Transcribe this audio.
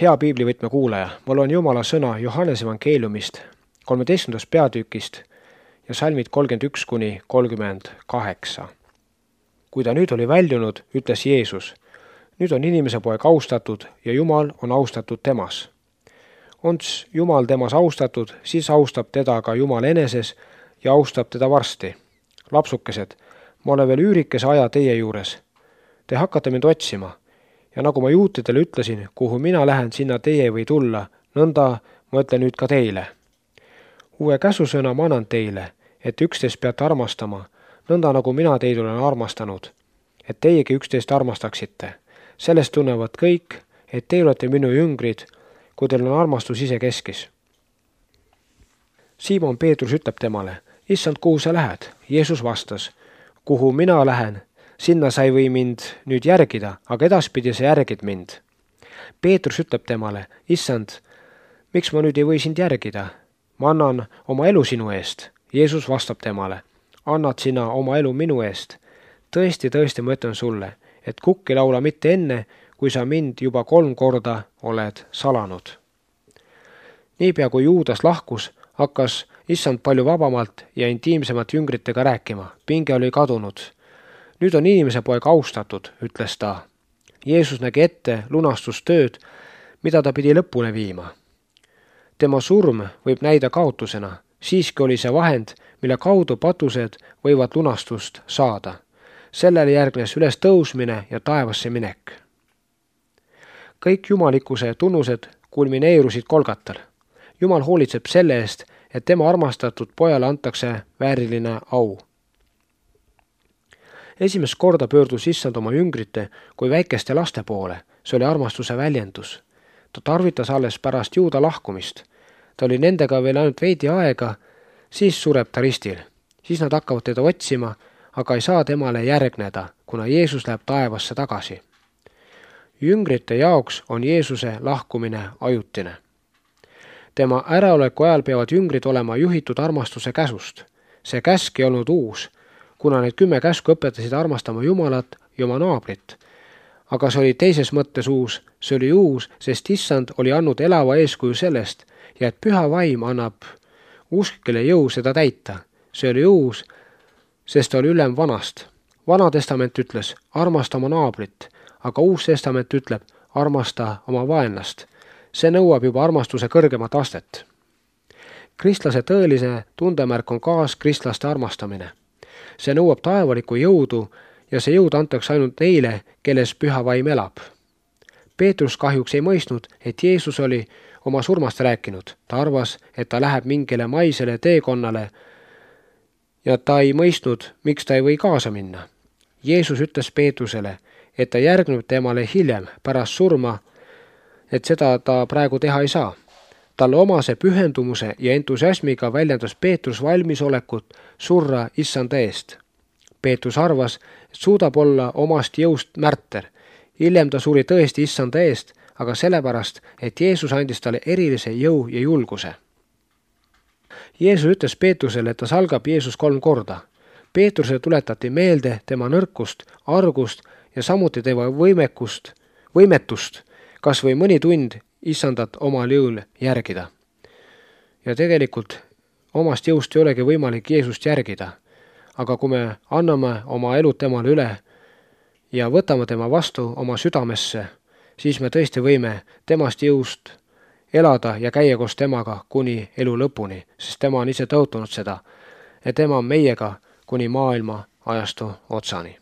Hea piiblivõtme kuulaja, ma loen Jumala sõna Johannese evangeeliumist 13. peatükist ja salmid 31–38. Kui ta nüüd oli väljunud, ütles Jeesus, nüüd on inimese poeg austatud ja Jumal on austatud temas. Onds Jumal temas austatud, siis austab teda ka Jumal eneses ja austab teda varsti. Lapsukesed, ma olen veel üürikese aja teie juures. Te hakkate mind otsima. Ja nagu ma juutidele ütlesin, kuhu mina lähen, sinna teie ei või tulla, nõnda ma ütlen nüüd ka teile. Uue käsusõna ma annan teile, et üksteist peate armastama, nõnda nagu mina teid olen armastanud, et teiegi üksteist armastaksite. Sellest tunnevad kõik, et te olete minu jüngrid, kui teil on armastus ise keskis. Siimon Peetrus ütleb temale, issand, kuhu sa lähed? Jeesus vastas, kuhu mina lähen, sinna sa ei või mind nüüd järgida, aga edaspidi sa järgid mind. Peetrus ütleb temale, issand, miks ma nüüd ei või sind järgida? Ma annan oma elu sinu eest. Jeesus vastab temale, annad sina oma elu minu eest. Tõesti, ma ütlen sulle, et kukk ei laula mitte enne, kui sa mind juba 3 korda oled salanud. Niipea kui Juudas lahkus, hakkas issand palju vabamalt ja intiimsemalt jüngritega rääkima. Pinge oli kadunud. Nüüd on inimese poeg austatud, ütles ta. Jeesus nägi ette lunastustööd, mida ta pidi lõpule viima. Tema surm võib näida kaotusena, siiski oli see vahend, mille kaudu patused võivad lunastust saada. Sellele järgnes üles tõusmine ja taevasse minek. Kõik jumalikkuse tunnused kulmineerusid Kolgatal. Jumal hoolitseb selle eest, et tema armastatud pojale antakse vääriline au. Esimest korda pöördus issand oma jüngrite kui väikeste laste poole. See oli armastuse väljendus. Ta tarvitas alles pärast Juuda lahkumist. Ta oli nendega veel ainult veidi aega, siis sureb ta ristil. Siis nad hakkavad teda otsima, aga ei saa temale järgneda, kuna Jeesus läheb taevasse tagasi. Jüngrite jaoks on Jeesuse lahkumine ajutine. Tema äraoleku ajal peavad jüngrid olema juhitud armastuse käsust. See käsk ei olnud uus, kuna need 10 käsku õpetasid armastama Jumalat ja oma naabrit. Aga see oli teises mõttes uus, see oli uus, sest issand oli andnud elava eeskuju sellest ja et püha vaim annab usklikele jõu seda täita. See oli uus, sest oli ülem vanast. Vana testament ütles, armasta oma naabrit, aga uus testament ütleb, armasta oma vaenlast. See nõuab juba armastuse kõrgemat astet. Kristlase tõelise tundemärk on kaaskristlaste armastamine. See nõuab taevalikku jõudu ja see jõud antakse ainult neile, kelles püha vaim elab. Peetrus kahjuks ei mõistnud, et Jeesus oli oma surmast rääkinud. Ta arvas, et ta läheb mingile maisele teekonnale ja ta ei mõistnud, miks ta ei või kaasa minna. Jeesus ütles Peetrusele, et ta järgneb temale hiljem pärast surma, et seda ta praegu teha ei saa. Talle omase pühendumuse ja entusiasmiga väljendas Peetrus valmisolekut surra issanda eest. Peetrus arvas, et suudab olla omast jõust märter. Hiljem ta suri tõesti issanda eest, aga sellepärast, et Jeesus andis talle erilise jõu ja julguse. Jeesus ütles Peetrusele, et ta salgab Jeesus 3 korda. Peetrusele tuletati meelde tema nõrkust, argust ja samuti tema võimetust, kas või mõni tund issandat omal jõul järgida. Ja tegelikult omast jõust ei olegi võimalik Jeesust järgida, aga kui me anname oma elud temale üle ja võtame tema vastu oma südamesse, siis me tõesti võime temast jõust elada ja käia koos temaga kuni elu lõpuni, sest tema on ise tõotanud seda, et tema on meiega kuni maailma ajastu otsani.